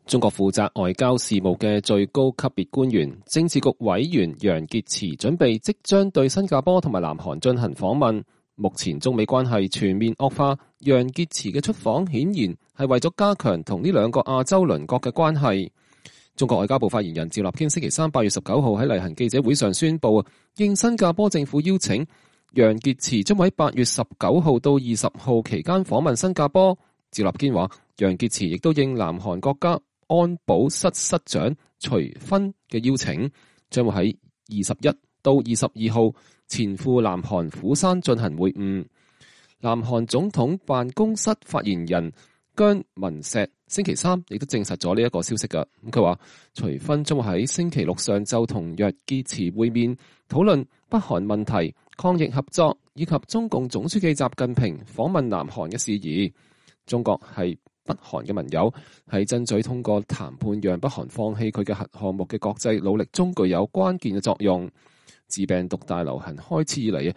中國負責外交事務嘅最高級別官員、政治局委員楊潔篪準備即將對新加坡同埋南韓進行訪問。目前中美關係全面惡化，楊潔篪嘅出訪顯然係為咗加強同呢兩個亞洲鄰國嘅關係。中國外交部發言人趙立堅星期三8月19號喺例行記者會上宣布，應新加坡政府邀請，楊潔篪將喺8月19號到20號期間訪問新加坡。趙立堅話，楊潔篪亦都應南韓國家安保室室長徐薰嘅邀請，將會喺21到22號前赴南韓釜山進行會晤。南韓總統辦公室發言人姜文石星期三亦都證實咗呢一個消息㗎。佢話徐薰將會喺星期六上晝同楊潔篪會面，討論北韓問題、抗疫合作以及中共總書記習近平訪問南韓嘅事宜。中國係北韓嘅盟友，喺爭取通過談判讓北韓放棄佢嘅核項目嘅國際努力中具有關鍵嘅作用。自病毒大流行開始以嚟，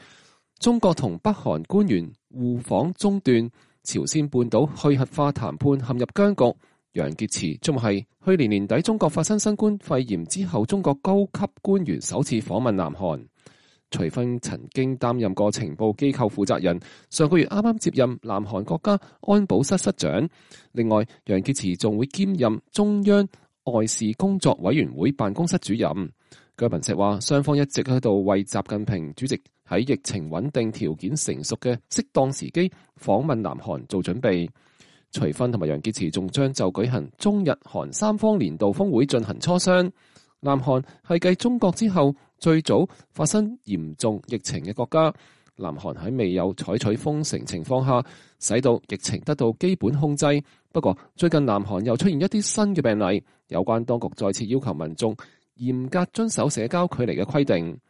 中國同北韓官員互訪中斷，朝鮮半島去核化談判陷入僵局。楊潔篪仲係去年年底中國發生新冠肺炎之後，中國高級官員首次訪問南韓。徐薰曾經擔任過情報機構負責人，上個月啱啱接任南韓國家安保室室長。另外，楊潔篪仲會兼任中央外事工作委員會辦公室主任。姜文石話，雙方一直喺度為習近平主席喺疫情穩定條件成熟嘅適當時機訪問南韓做準備。徐薰同埋楊潔篪仲將就舉行中日韓三方年度峰會進行磋商。南韓係繼中國之後最早發生嚴重疫情嘅國家。南韓喺未有採取封城情況下，使到疫情得到基本控制。不過最近南韓又出現一啲新嘅病例，有關當局再次要求民眾嚴格遵守社交距離嘅規定。